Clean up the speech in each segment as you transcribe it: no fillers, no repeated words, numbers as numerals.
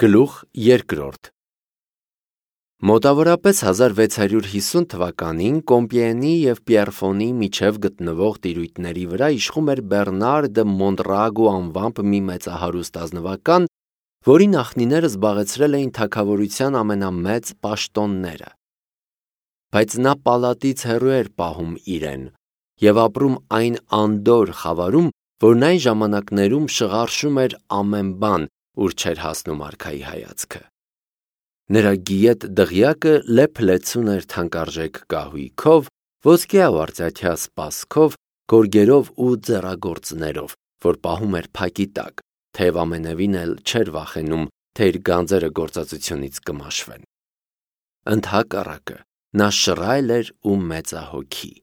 Գլուխ երկրորդ Մոտավորապես 1650 թվականին Կոմպիենի և Պիեռֆոնի միջև գտնվող տիրույթների վրա իշխում էր Բեռնար դը Մոնտրագու անվամբ մի մեծահարուստ ազնվական, որի նախնիները զբաղեցրել էին թագավորության ամենամեծ պաշտոնները։ Բայց նա պալատից հեռու էր պահում իրեն և ապրում այն անդորր խավարում, որն այն ժամանակներում շղարշում էր ամեն բան, ուր չէր հասնում արքայի հայացքը։ Նրա գիետ դղյակը լեփ-լեցուն էր թանկարժեք կահույքով, ոսկյա ու արծաթյա սպասքով, գորգերով ու ձեռագործներով, որ պահում էր փակի տակ, թեև ամենևին էլ չէր վախենում, թե իր գանձերը գործածությունից կմաշվեն։ Ընդհակառակը, նա շռայլ էր ու մեծահոգի։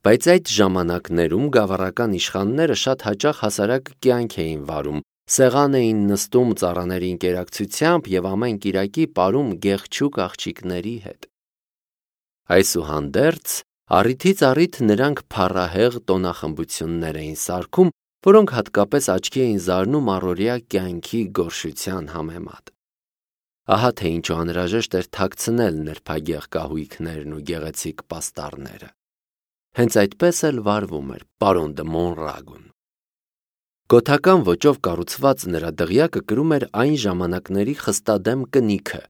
Բայց այդ ժամանակներում գավառական իշխանները շատ հաճախ հասարակ կյանք էին վարում, սեղան էին նստում ծառաների ընկերակցությամբ և ամեն կիրակի պարում գեղչուկ աղջիկների հետ։ Այսուհանդերձ, առիթից առիթ նրանք փառահեղ տոնախմբություններ էին սարքում, որոնք հատկապես աչքի էին զարնում առօրյա կյանքի գորշության համեմատ։ Ահա թե ինչու անհրաժեշտ էր թաքցնել նրբագեղ կահույքներն ու գեղեցիկ պաստառները։ Հենց այդպես էլ վարվում էր պարոն դը Մոնրագուն։ Գոթական ոճով կառուցված նրա դղյակը կրում էր այն ժամանակների խստադեմ կնիքը։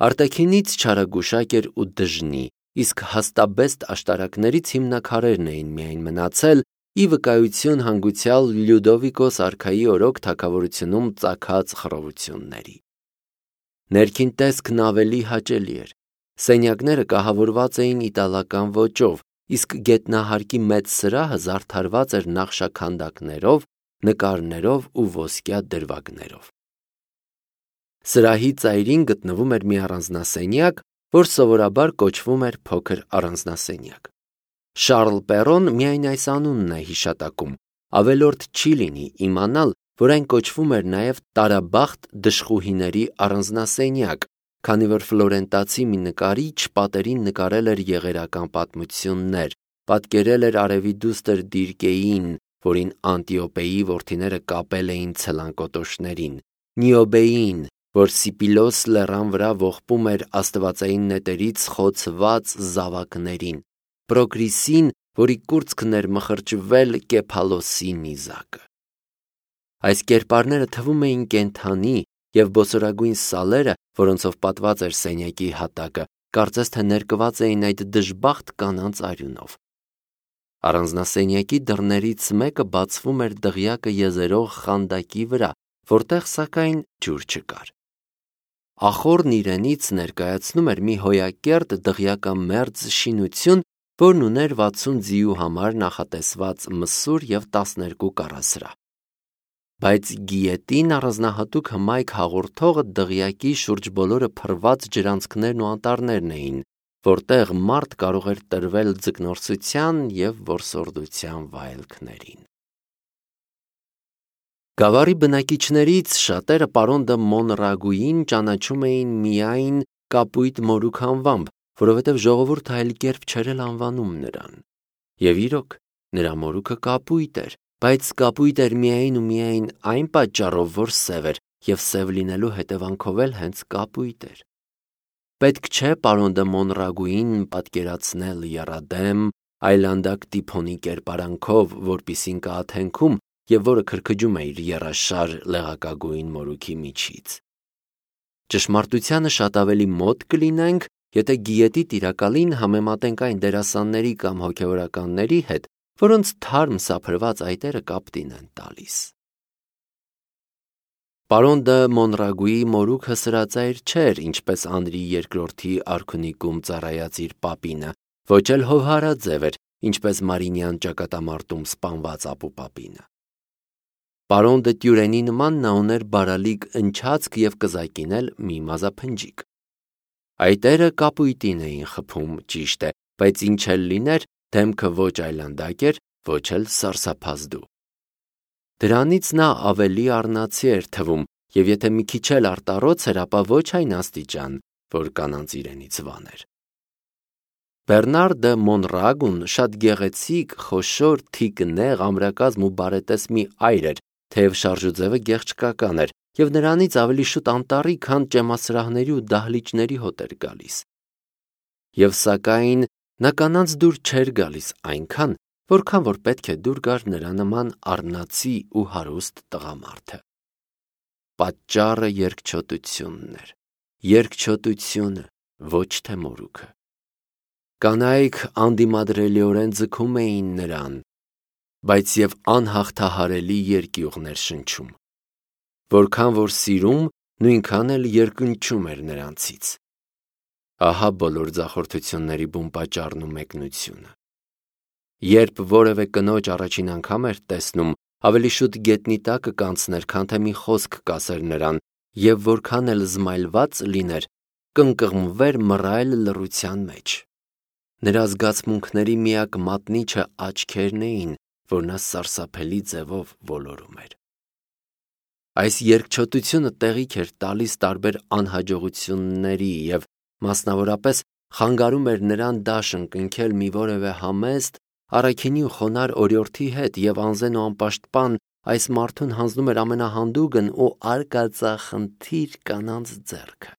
Արտաքինից չարագուշակ էր ու դժնի, իսկ հաստաբեստ աշտարակներից հիմնաքարերն էին միայն մնացել, ի վկայություն հանգուցյալ Լյուդովիկոս արքայի օրոք թագավորությունում ծագած խռովությունների։ Ներքին տեսքն ավելի հաճելի էր։ Սենյակները կահավորված էին իտալական ոճով, իսկ գետնահարկի մեծ սրահը զարդարված էր նախշաքանդակներով, նկարներով ու ոսկյա դրվագներով։ Սրահի ծայրին գտնվում էր մի առանձնասենյակ, որ սովորաբար կոչվում էր փոքր առանձնասենյակ։ Շարլ Պերոն միայն այս անունն է հիշատակում, ավելորդ չի լինի իմանալ, որ այն կոչվում էր նաև տարաբախտ դժխուհիների առանձնասենյակ, քանի որ ֆլորենտացի մի նկարիչ պատերին նկարել էր եղերական պատմություններ, պատկերել էր արևի դուստր Դիրկեին, որին Անտիոպեի որդիները կապել էին ցլանկոտոշներին, Նիոբեին, որ Սիպիլոս լեռան վրա ողբում էր աստվածային նետերից խոցված զավակներին, Պրոկրիսին, որի կուրծքն էր մխրճվել Կեփալոսի նիզակը։ Այս կերպարները թվում էին կենդանի, և բոսորագույն սալերը, որոնցով պատված էր սենյակի հատակը, կարծես թե ներկված էին այդ դժբախտ կանանց արյունով։ Առանձնասենյակի դռներից մեկը բացվում էր դղյակը եզերող խանդակի վրա, որտեղ սակայն ջուր չկար։ Ախոռն իրենից ներկայացնում էր մի հոյակերտ դղյակամերձ շինություն, որն ուներ 60 ձիու համար նախատեսված մսուր և 12 կառասրահ։ Բայց գիետին առանձնահատուկ հմայք հաղորդողը դղյակի շուրջ բոլորը փռված ջրանցքներն ու անտառներն էին, որտեղ մարդ կարող էր տրվել ձկնորսության և որսորդության վայելքներին։ Գավառի բնակիչներից շատերը պարոն դը Մոնրագուին ճանաչում էին միայն Կապույտ մորուք անվամբ, որովհետև ժողովուրդը այլ կերպ չէր էլ անվանում նրան։ Եվ իրոք, նրա մորուքը կապույտ էր, բայց կապույտ էր միայն ու միայն այն պատճառով, որ սև էր, և սև լինելու հետևանքով էլ հենց կապույտ էր։ Պետք չէ պարոն դը Մոնրագուին պատկերացնել եռադեմ, այլանդակ տիփոնի կերպարանքով, որպիսին կա Աթենքում, և որը քրքջում է իր եռաշար լեղակագույն մորուքի միջից։ Ճշմարտությանը շատ ավելի մոտ կլինենք, եթե գիետի տիրակալին համեմատենք այն դերասանների կամ հոգևորականների հետ, որոնց թարմ սափրված այտերը կապտին են տալիս։ Պարոն դը Մոնրագուի մորուքը սրածայր չէր, ինչպես Անրի II արքունիքում ծառայած իր պապինը, ոչ էլ հովհարաձև էր, ինչպես Մարինյան ճակատամարտում սպանված ապուպապինը։ Պարոն դը Տյուրենի նման նա ուներ բարալիկ ընչացք և կզակին էլ մի մազափնջիկ։ Այտերը կապույտին էին խփում, ճիշտ է, բայց ինչ էլ լիներ, դեմքը ոչ այլանդակ էր, ոչ էլ սարսափազդու։ Դրանից նա ավելի առնացի էր թվում, և եթե մի քիչ էլ արտառոց էր, ապա ոչ այն աստիճան, որ կանանց իրենից վաներ։ Բեռնար դը Մոնրագուն շատ գեղեցիկ, խոշոր, թիկնեղ, ամրակազմ ու բարետես մի այր էր, թեև շարժուձևը գեղչկական էր, և նրանից ավելի շուտ անտառի, քան ճեմասրահների ու դահլիճների հոտ էր գալիս։ Եվ սակայն նա կանանց դուր չէր գալիս այնքան, որքան որ պետք է դուր գար նրա նման առնացի ու հարուստ տղամարդը։ Պատճառը երկչոտությունն էր, երկչոտությունը, ոչ թե մորուքը։ Կանայք անդիմադրելիորեն ձգում էին նրան, բայց և անհաղթահարելի երկյուղներ շնչում։ Որքան որ սիրում, նույնքան էլ երկնչում էր նրանցից։ Ահա բոլոր ձախորդությունների բուն պատճառն ու մեկնությունը։ Երբ որևէ կնոջ առաջին անգամ էր տեսնում, ավելի շուտ գետնի տակը կանցներ, քան թե մի խոսք կասեր նրան, և որքան էլ զմայլված լիներ, կընկղմվեր մռայլ լռության մեջ։ Նրա զգացմունքների միակ մատնիչը աչքերն էին, որ նա սարսափելի ձևով ոլորում էր։ Այս երկչոտությունը տեղիք էր տալիս տարբեր անհաջողությունների և մասնավորապես խանգարում էր նրան դաշն կնքել մի որևէ համեստ, առաքինի ու խոնարհ օրիորդի հետ և անզեն ու անպաշտպան այս մարդուն հանձնում էր ամենահանդուգն ու արկածախնդիր կանանց ձեռքը։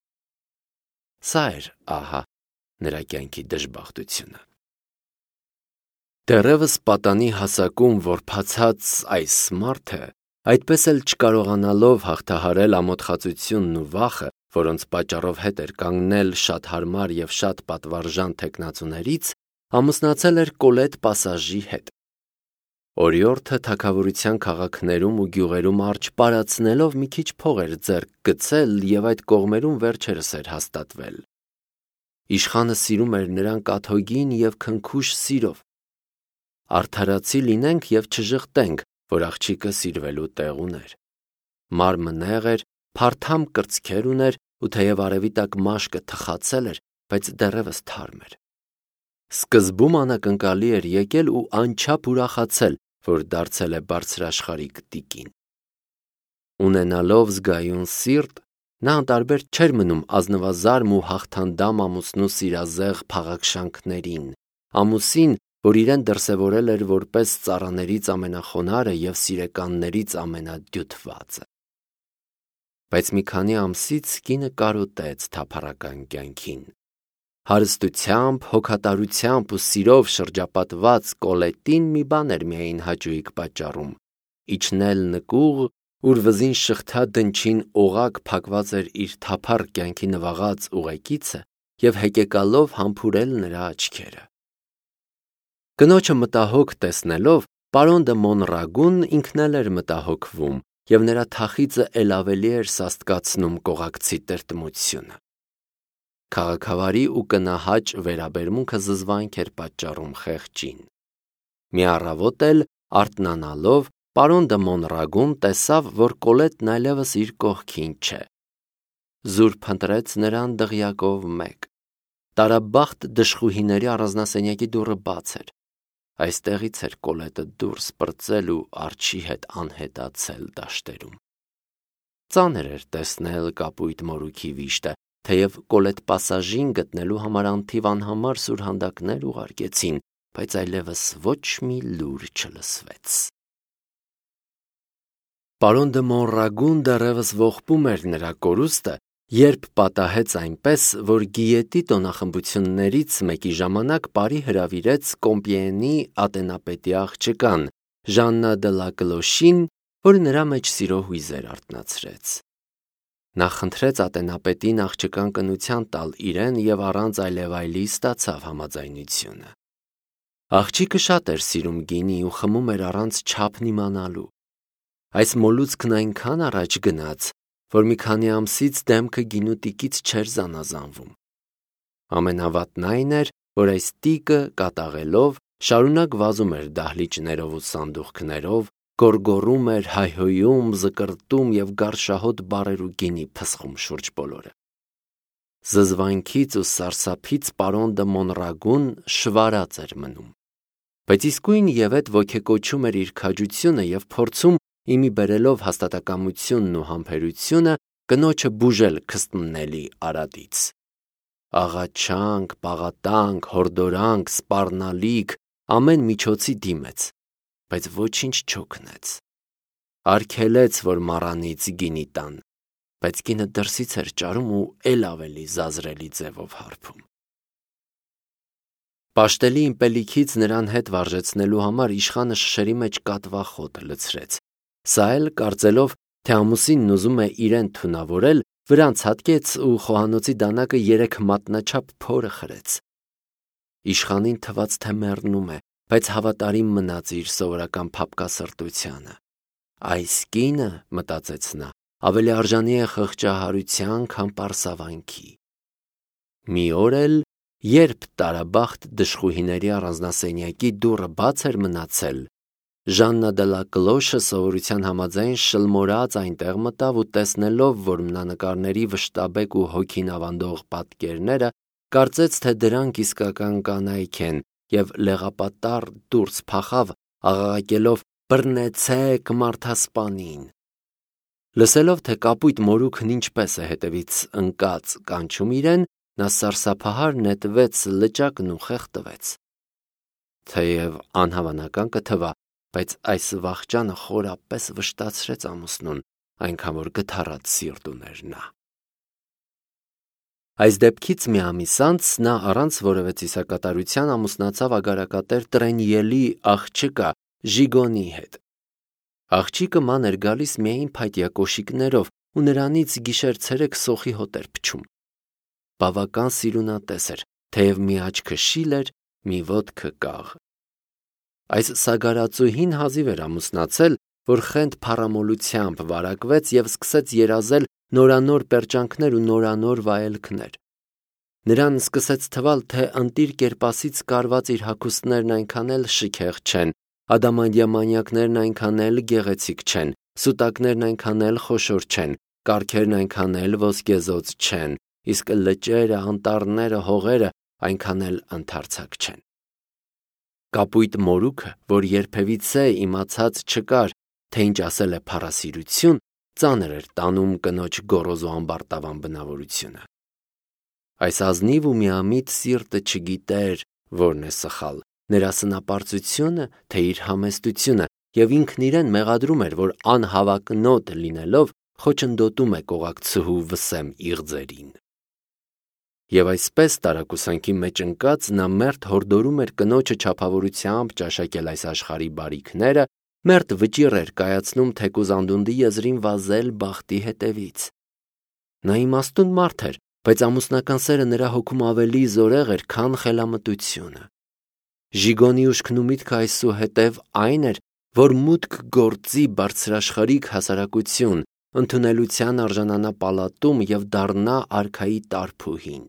Սա էր, ահա, նրա կյանքի դժբախտությունը։ Դեռևս պատանի հասակում որբացած այս մարդը, այդպես էլ չկարողանալով հաղթահարել ամոթխածությունն ու վախը, որոնց պատճառով հետ էր կանգնել շատ հարմար և շատ պատվարժան թեկնածուներից, ամուսնացել էր Կոլետ Պասաժի հետ։ Օրիորդը թագավորության քաղաքներում ու գյուղերում արջ պարածնելով մի քիչ փող էր ձեռք գցել և այդ կողմերում վերջերս էր հաստատվել։ Իշխանը սիրում էր նրան կաթոկին և քնքուշ սիրով։ Արդարացի լինենք և չժխտենք, որ աղջիկը սիրվելու տեղ ուներ։ Մարմը նեղ էր, փարթամ կրծքեր ուներ ու թեև արևի տակ մաշկը թխացել էր, բայց դեռևս թարմ էր։ Սկզբում անակնկալի էր եկել ու անչափ ուրախացել, որ դարձել է բարձրաշխարհիկ տիկին։ Ունենալով զգայուն սիրտ, նա անտարբեր չէր մնում ազնվազարմ ու հաղթանդամ ամուսնու սիրազեղ փաղաքշանքներին, ամուսին, որ իրեն դրսևորել էր որպես ծառաներից ամենախոնարհը և սիրեկաններից ամենադյութվածը։ Բայց մի քանի ամսից կինը կարոտեց թափառական կյանքին։ Հարստությամբ, հոգատարությամբ ու սիրով շրջապատված Կոլետին մի բան էր միայն հաճույք պատճառում՝ իջնել նկուղ, ուր վզին շղթա դնչին օղակ փակված էր իր թափառ կյանքի նվաղած ուղեկիցը և հեկեկալով համբուրել նրա աչքերը։ Կնոջը մտահոգ տեսնելով, պարոն դը Մոնրագուն ինքն էլ էր մտահոգվում, և նրա թախիծը էլ ավելի էր սաստկացնում կողակցի տրտմությունը։ Քաղաքավարի ու կնահաճ վերաբերմունքը զզվանք էր պատճառում խեղճին։ Մի առավոտ էլ, արթնանալով, պարոն դը Մոնրագուն տեսավ, որ Կոլետն այլևս իր կողքին չէ։ Զուր փնտրեց նրան դղյակով մեկ։ Տարաբախտ դժխուհիների առանձնասենյակի դուռը բաց էր։ Այստեղից էր Կոլետը դուրս պրծել ու արջի հետ անհետացել դաշտերում։ Ծանր էր տեսնել կապույտ մորուքի վիշտը, թեև Կոլետ Պասաժին գտնելու համար անթիվ անհամար սուրհանդակներ ուղարկեցին, բայց այլևս ոչ մի լուր չլսվեց։ Պարոն դը Մոնրագուն դեռևս ողբում էր նրա կորուստը, երբ պատահեց այնպես, որ Գիետի տոնախմբություններից մեկի ժամանակ բարի հրավիրեց Կոմպիենի ատենապետի աղջկան, Ժաննա դը Լակլոշին, որ նրա մեջ սիրո հույզեր արթնացրեց։ Նա խնդրեց ատենապետին աղջկան կնության տալ իրեն և առանց այլևայլի ստացավ համաձայնությունը։ Աղջիկը շատ էր սիրում գինի ու խմում էր առանց չափն իմանալու։ Այս մոլուցքն այնքան առաջ գնաց, որ մի քանի ամսից դեմքը գինու տիկից չէր զանազանվում։ Ամենավատն այն էր, որ այս տիկը կատաղելով շարունակ վազում էր դահլիճներով ու սանդուղքներով, գոռգոռում էր, հայհոյում, զկռտում և գարշահոտ բառեր ու գինի փսխում շուրջ բոլորը։ Զզվանքից ու սարսափից պարոն դը Մոնրագուն շվարած էր մնում, բայց իսկույն ևեթ ոգեկոչում էր իր քաջությունը և փորձում, իմի բերելով հաստատակամությունն ու համբերությունը, կնոջը բուժել քստմնելի արատից։ Աղաչանք, պաղատանք, հորդորանք, սպառնալիք, ամեն միջոցի դիմեց, բայց ոչինչ չօգնեց։ արգելեց, որ մառանից գինի տան, բայց կինը դրսից էր ճարում ու էլ ավելի զազրելի ձևով հարբում։ Պաշտելի իմպելիքից նրան հետ վարժեցնելու համար իշխանը շշերի մեջ կատվախոտ լցրեց։ Սա էլ կարծելով, թե ամուսինն ուզում է իրեն թունավորել, վրան ցատկեց ու խոհանոցի դանակը 3 մատնաչափ փորը խրեց։ Իշխանին թվաց, թե մեռնում է, բայց հավատարիմ մնաց իր սովորական փափկասրտությանը։ Այս կինը, մտածեց նա, ավելի արժանի է խղճահարության, քան պարսավանքի։ Մի օր էլ, երբ տարաբախտ դժխուհիների առանձնասենյակի դուռը բաց էր մնացել, Ժաննա դե լա Կլոշը սովորության համաձայն շլմորած այնտեղ մտավ ու տեսնելով, որ մնանկարների վշտաբեկ ու հոգին ավանդող պատկերները, կարծեց, թե դրանք իսկական կանայք են և լեղապատառ դուրս փախավ, աղաղակելով «Բռնեցեք մարդասպանին»։ Լսելով, թե կապույտ մորուքն ինչպես է հետևից ընկած կանչում իրեն, նա սարսափահար նետվեց լճակն ու խեղդվեց։ Թեև անհավանական կթվա, բայց այս վախճանը խորապես վշտացրեց ամուսնուն, այնքան որ գթառած սիրտ ուներ նա։ Այս դեպքից մի ամիս անց նա առանց որևէ ծիսակատարության ամուսնացավ ագարակատեր Տրենիելի աղջկա Ժիգոնի հետ։ Աղջիկը ման էր գալիս միայն փայտյա կոշիկներով ու նրանից գիշեր-ցերեկ սոխի հոտ էր փչում։ Բավական սիրունատես էր, թեև մի աչքը շիլ էր, մի ոտքը կաղ։ Այս սագարածուհին հազիվ էր ամուսնացել, որ խենթ փառամոլությամբ վարակվեց և սկսեց երազել նորանոր պերճանքներ ու նորանոր վայելքներ։ Նրան սկսեց թվալ, թե ընտիր կերպասից կարված իր հագուստներն այնքան էլ շքեղ չեն, ադամանդյա մանյակներն այնքան էլ գեղեցիկ չեն, սուտակներն այնքան էլ խոշոր չեն, կառքերն այնքան էլ ոսկեզօծ չեն, իսկ լճերը, անտառները, հողերը այնքան էլ ընդարձակ չեն։ Կապույտ մորուքը, որ երբևիցե իմացած չկար, թե ինչ ասել է փառասիրություն, ծանր էր տանում կնոջ գոռոզ ու ամբարտավան բնավորությունը։ Այս ազնիվ ու միամիտ սիրտը չգիտեր, որն է սխալ, նրա սնապարծությունը, թե իր համեստությունը, և ինքն իրեն մեղադրում էր, որ անհավակնոտ լինելով խոչընդոտում է կողակցուհու վսեմ իղձերին։ Եվ այսպես տարակուսանքի մեջ ընկած նա մերթ հորդորում էր կնոջը չափավորությամբ ճաշակել այս աշխարհի բարիքները, մերթ վճիռ էր կայացնում թեկուզ անդունդի եզրին վազել բախտի հետևից։ Նա իմաստուն մարդ էր, բայց ամուսնական սերը նրա հոգում ավելի զորեղ էր, քան խելամտությունը։ Ժիգոնի ուշքն ու միտքը այսուհետև այն էր, որ մուտք գործի բարձրաշխարհիկ հասարակություն, ընդունելության արժանանա պալատում և դառնա արքայի տարփուհին։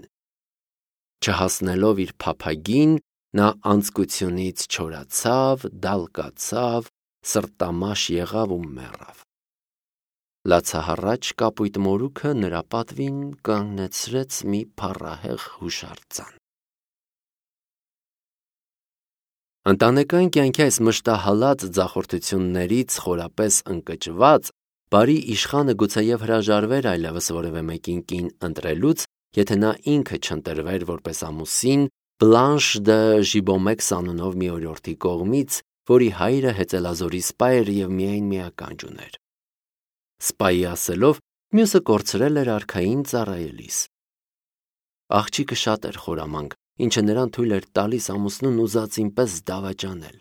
Չհասնելով իր փափագին, նա անձկությունից չորացավ, դալկացավ, սրտամաշ եղավ ու մեռավ։ Լացահառաչ կապույտ մորուքը նրա պատվին կանգնեցրեց մի փառահեղ հուշարձան։ Ընտանեկան կյանքի այս մշտահալած ձախորդություններից խորապես ընկճված, բարի իշխանը գուցեև հրաժարվեր այլևս որևէ մեկին կին ընտրելուց, եթե նա ինքը չընտրվեր որպես ամուսին Բլանշ դը Ժիբոմեքս անունով մի օրիորդի կողմից, որի հայրը հեծելազորի սպա էր և միայն մի ականջ ուներ։ Սպայի ասելով, մյուսը կորցրել էր արքային ծառայելիս։ Աղջիկը շատ էր խորամանկ, ինչը նրան թույլ էր տալիս ամուսնուն ուզածին պես դավաճանել։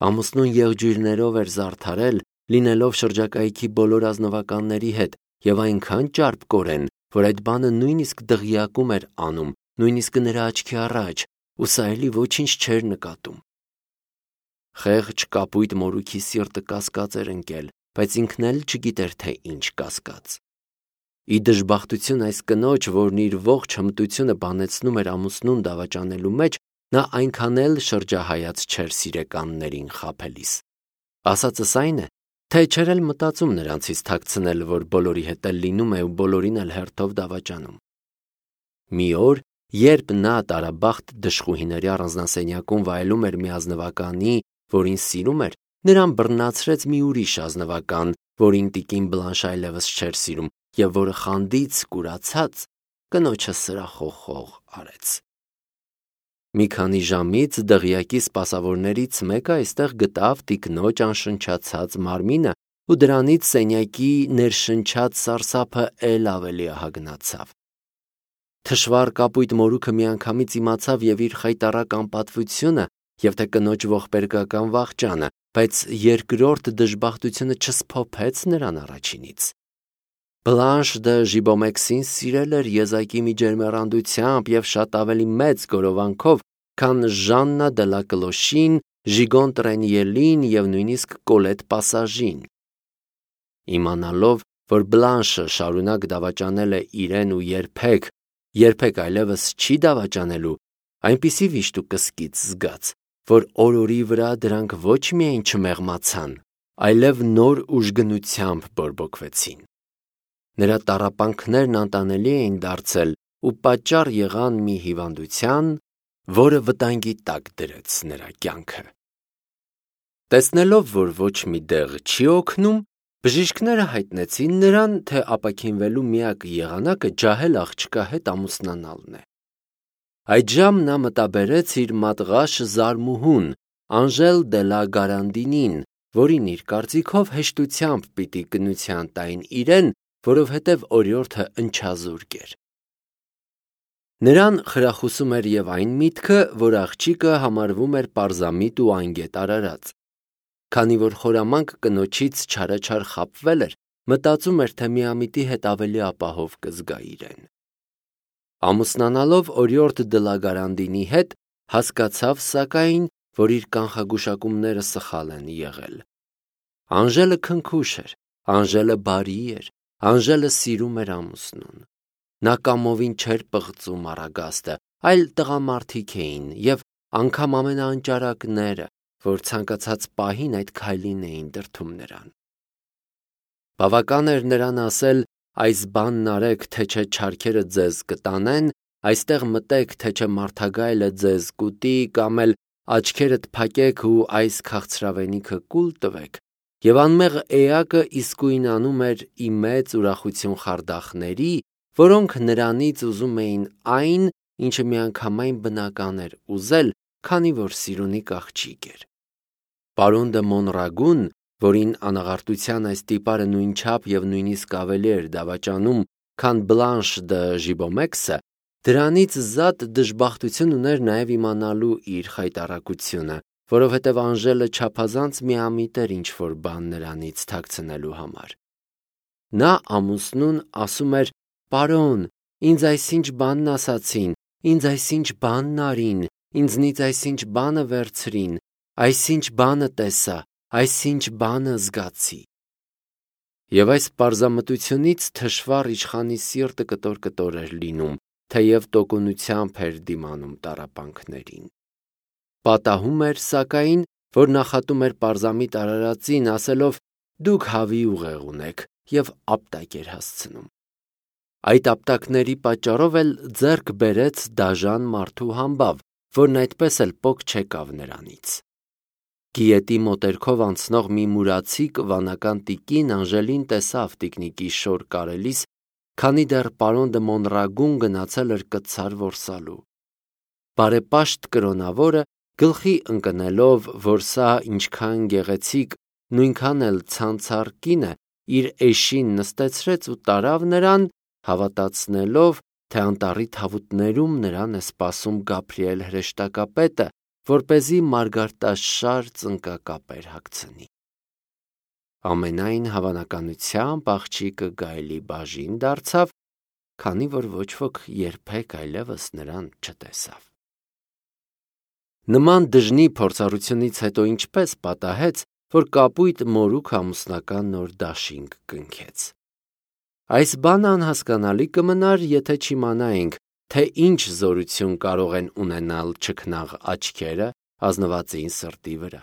Ամուսնուն եղջյուրներով էր զարդարել, լինելով շրջակայքի բոլոր ազնվականների հետ և այնքան ճարպկորեն, որ այդ բանը նույնիսկ դղյակում էր անում, նույնիսկ նրա աչքի առաջ, ու սա էլի ոչինչ չէր նկատում։ Խեղճ կապույտ մորուքի սիրտը կասկած էր ընկել, բայց ինքն էլ չգիտեր, թե ինչ կասկած։ Ի դժբախտություն այս կնոջ, որն իր ողջ հմտությունը բանեցնում էր ամուսնուն դավաճանելու մեջ, նա այնքան էլ շրջահայաց չէր սիրեկաններին խաբելիս։ Ասածս այն է, թե չէր էլ մտածում նրանցից թաքցնել, որ բոլորի հետ էլ լինում է ու բոլորին էլ հերթով դավաճանում։ Մի օր, երբ նա տարաբախտ դժխուհիների առանձնասենյակում վայելում էր մի ազնվականի, որին սիրում էր, նրան բռնացրեց մի ուրիշ ազնվական, որին տիկին Բլանշ այլևս չէր սիրում և որը խանդից կուրացած կնոջը սրախոխող արեց։ Մի քանի ժամից դղյակի սպասավորներից մեկը այստեղ գտավ տիկնոջ անշնչացած մարմինը ու դրանից սենյակի ներշնչած սարսափը էլ ավելի ահագնացավ։ Թշվառ կապույտ մորուքը միանգամից իմացավ եւ իր խայտառակ անպատվությունը եւ թե կնոջ ողբերգական վախճանը, բայց երկրորդ դժբախտությունը չսփոփեց նրան առաջինից։ Բլանշ դը Ժիբոմեքսին սիրել էր եզակի մի ջերմեռանդությամբ եւ շատ ավելի մեծ գորովանքով, քան Ժաննա դե լա Կլոշին, Ժիգոն Տրենիելին եւ նույնիսկ Կոլետ Պասաժին։ Իմանալով, որ Բլանշը շարունակ դավաճանել է իրեն ու երբեք այլևս չի դավաճանելու, այնպիսի վիշտ ու կսկիծ զգաց, որ օր-օրի վրա դրանք ոչ միայն չմեղմացան, այլև նոր ուժգնությամբ բորբոքվեցին։ Նրա տառապանքներն անտանելի էին դարձել ու պատճառ եղան մի հիվանդության, որը վտանգի տակ դրեց նրա կյանքը։ Տեսնելով, որ ոչ մի դեղ չի օգնում, բժիշկները հայտնեցին նրան, թե ապաքինվելու միակ եղանակը ջահել աղջկա հետ ամուսնանալն է։ Այդժամ նա մտաբերեց իր մատղաշ զարմուհուն, Անժել դե լա Գարանդինին, որին իր կարծիքով հեշտությամբ պիտի գնության տային իրեն, որովհետև օրիորդը ընչազուրկ էր։ Նրան խրախուսում էր եւ այն միտքը, որ աղջիկը համարվում էր պարզամիտ ու անգետ արարած։ Քանի որ խորամանկ կնոջից չարաչար խաբվել էր, մտածում էր, թե միամիտի հետ ավելի ապահով կզգա իրեն։ Ամուսնանալով օրիորդ դե լա Գարանդինի հետ, հասկացավ սակայն, որ իր կանխագուշակումները սխալ են եղել։ Անժելը քնքուշ էր, Անժելը բարի էր, Անժելը սիրում էր ամուսնուն։ Նա կամովին չէր պղծում առագաստը, այլ տղամարդիկ էին եւ անգամ ամենաանճարակները, որ ցանկացած պահին այդ քայլին էին դրդում նրան։ Բավական էր նրան ասել. այս բանն արեք, թե չէ չարքերը ձեզ կտանեն, այստեղ մտեք, թե չէ մարդագայլը ձեզ կուտի, կամ էլ աչքերդ փակեք ու այս քաղցրավենիքը կուլ տվեք, եւ անմեղ էակը իսկույն անում էր ի մեծ ուրախություն խարդախների, որոնք նրանից ուզում էին այն, ինչը միանգամայն բնական էր ուզել, քանի որ սիրունիկ աղջիկ էր։ Պարոն դը Մոնրագուն, որին անաղարտության այս տիպարը նույնչափ եւ նույնիսկ ավելի էր դավաճանում, քան Բլանշ դը Ժիբոմեքսը, դրանից զատ դժբախտություն ուներ նաեւ իմանալու իր խայտառակությունը, որովհետեւ Անժելը չափազանց միամիտ էր ինչ-որ բան նրանից թաքցնելու համար։ Նա ամուսնուն ասում էր. «Պարոն, ինձ այսինչ բանն ասացին, ինձ այսինչ բանն արին, ինձնից այսինչ բանը վերցրին, այսինչ բանը տեսա, այսինչ բանը զգացի»։ Եվ այս պարզամտությունից թշվառ իշխանի սիրտը կտոր էր լինում, թեև տոկունությամբ էր դիմանում տառապանքներին։ Պատահում էր, սակայն, որ նախատում էր պարզամիտ արարածին, ասելով. «Դուք հավի ուղեղ ունեք» եւ ապտակ էր հասցնում։ Այդ ապտակների պատճառով էլ ձեռք բերեց դաժան մարդու համբավ, որն այդպես էլ պոկ չեկավ նրանից։ Գիետի մոտերքով անցնող մի մուրացիկ վանական տիկին Անժելին տեսավ տիկնիկի շոր կարելիս, քանի դեռ պարոն դը Մոնրագուն գնացել էր կցար որսալու։ Բարեպաշտ կրոնավորը, գլխի ընկնելով, որ սա ինչքան գեղեցիկ, նույնքան էլ ցանցառ կին է, իր էշին նստեցրեց ու տարավ նրան, հավատացնելով, թե անտառի թավուտներում նրան է սպասում Գաբրիել հրեշտակապետը, որպեսզի մարգարտաշար ծնկակապեր հագցնի։ Ամենայն հավանականությամբ աղջիկը գայլի բաժին դարձավ, քանի որ ոչ ոք երբեք այլևս նրան չտեսավ։ Նման դժնի փորձառությունից հետո ինչպես պատահեց, որ կապույտ մորուք ամուսնական նոր դաշինք կնքեց։ Այս բանը անհասկանալի կմնար, եթե չիմանայինք, թե ինչ զորություն կարող են ունենալ չքնաղ աչքերը ազնվածին սրտի վրա։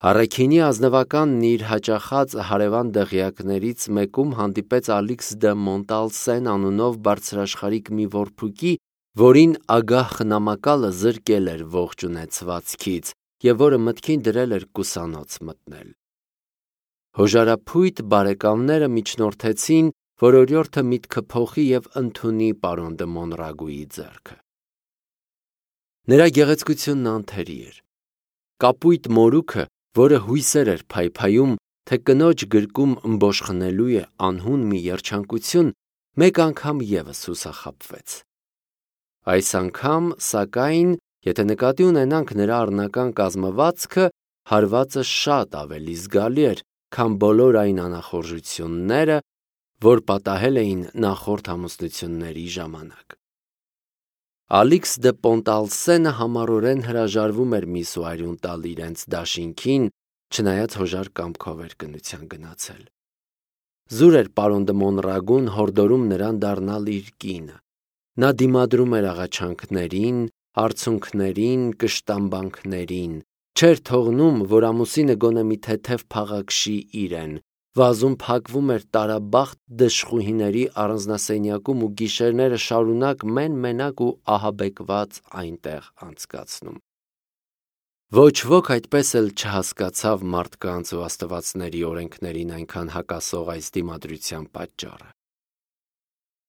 Առաքինի ազնվականն իր հաճախած հարևան դղյակներից մեկում հանդիպեց Ալիքս դը Մոնտալսեն անունով բարձրաշխարհիկ մի որբուկի, որին ագահ խնամակալը զրկել էր ողջ ունեցվածքից եւ որը մտքին դրել էր կուսանոց մտնել։ Հոժարափույտ բարեկամները միջնորդեցին, որ օրիորդը միտքը փոխի եւ ընդունի պարոն դը Մոնրագուի ձեռքը։ Նրա գեղեցկությունն անթերի էր։ Կապույտ մորուքը, որը հույսեր էր փայփայում, թե կնոջ գրկում ըմբոշխնելու է անհուն մի երջանկություն, մեկ անգամ ևս հուսախաբվեց։ Այս անգամ, սակայն, եթե նկատի ունենանք նրա առնական կազմվածքը, հարվածը շատ ավելի զգալի էր, քան բոլոր այն անախորժությունները, որ պատահել էին նախորդ ամուսնությունների ժամանակ։ Ալիքս դե Պոնտալսենը համառորեն հրաժարվում էր միս ու արյուն տալ իրենց դաշինքին, չնայած հոժար կամքով էր կնության գնացել։ Զուր էր պարոն դը Մոնրագուն հորդորում նրան դառնալ իր կինը։ Նա դիմադրում էր աղաչանքներին, արցունքներին, կշտամբանքներին, չէր թողնում, որ ամուսինը գոնե մի թեթև փաղաքշի իրեն, վազում փակվում էր տարաբախտ դժխուհիների առանձնասենյակում ու գիշերները շարունակ մեն-մենակ ու ահաբեկված այնտեղ անցկացնում։ Ոչ ոք այդպես էլ չհասկացավ մարդկանց ու աստվածների օրենքներին այնքան հակասող այս դիմադրության պատճառը։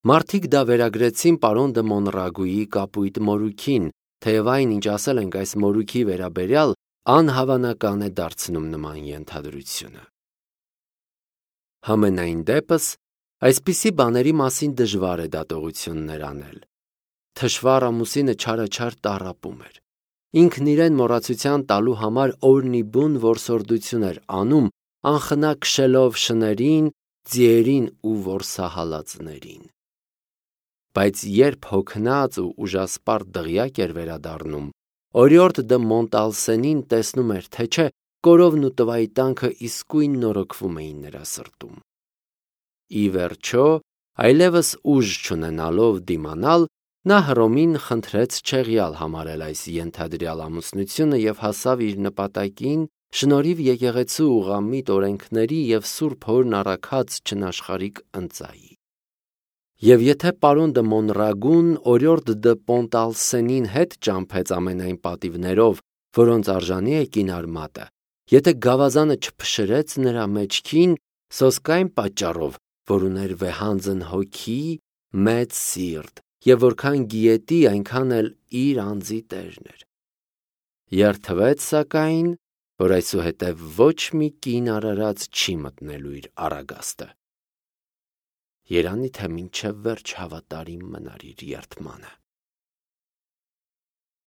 Մարդիկ դա վերագրեցին պարոն դը Մոնրագուի կապույտ մորուքին, թեև այն, ինչ ասել ենք այս մորուքի վերաբերյալ, անհավանական է դարձնում նման ենթադրությունը։ Համենայն դեպս, այսպիսի բաների մասին դժվար է դատողություններ անել։ Թշվառ ամուսինը չարաչար տառապում էր։ Ինքն իրեն մոռացության տալու համար օրնիբուն որսորդություն էր անում, անխնա քշելով շներին, ձիերին ու որսահալածներին։ Բայց երբ հոգնած ու ուժասպառ դղյակ էր վերադառնում, օրիորդ դը Մոնտալսենին տեսնում էր, թե չէ, կորովն ու տվայի տանքը իսկույն նորոգվում էին նրա սրտում։ Ի վերջո, այլևս ուժ չունենալով դիմանալ, նա Հռոմին խնդրեց չեղյալ համարել այս ենթադրյալ ամուսնությունը և հասավ իր նպատակին շնորհիվ եկեղեցու ուղղամիտ օրենքների և Սուրբ Հորն առաքած չնաշխարհիկ ընծայի։ Եվ եթե պարոն դը Մոնրագուն օրիորդ դը Պոնտալսենին հետ ճամփեց ամենայն պատիվներով, որոնց արժանի է կինարմատը, եթե գավազանը չփշրեց նրա մեջքին, սոսկ այն պատճառով, որ ուներ վեհանձն հոգի, մեծ սիրտ, և որքան գիետի, այնքան էլ իր անձի տերն էր։ Երդվեց, սակայն, որ այսուհետև ոչ մի կին արարած չի մտնելու իր առագաստը։ Երանի թե մինչև վերջ հավատարիմ մնար իր երդմանը։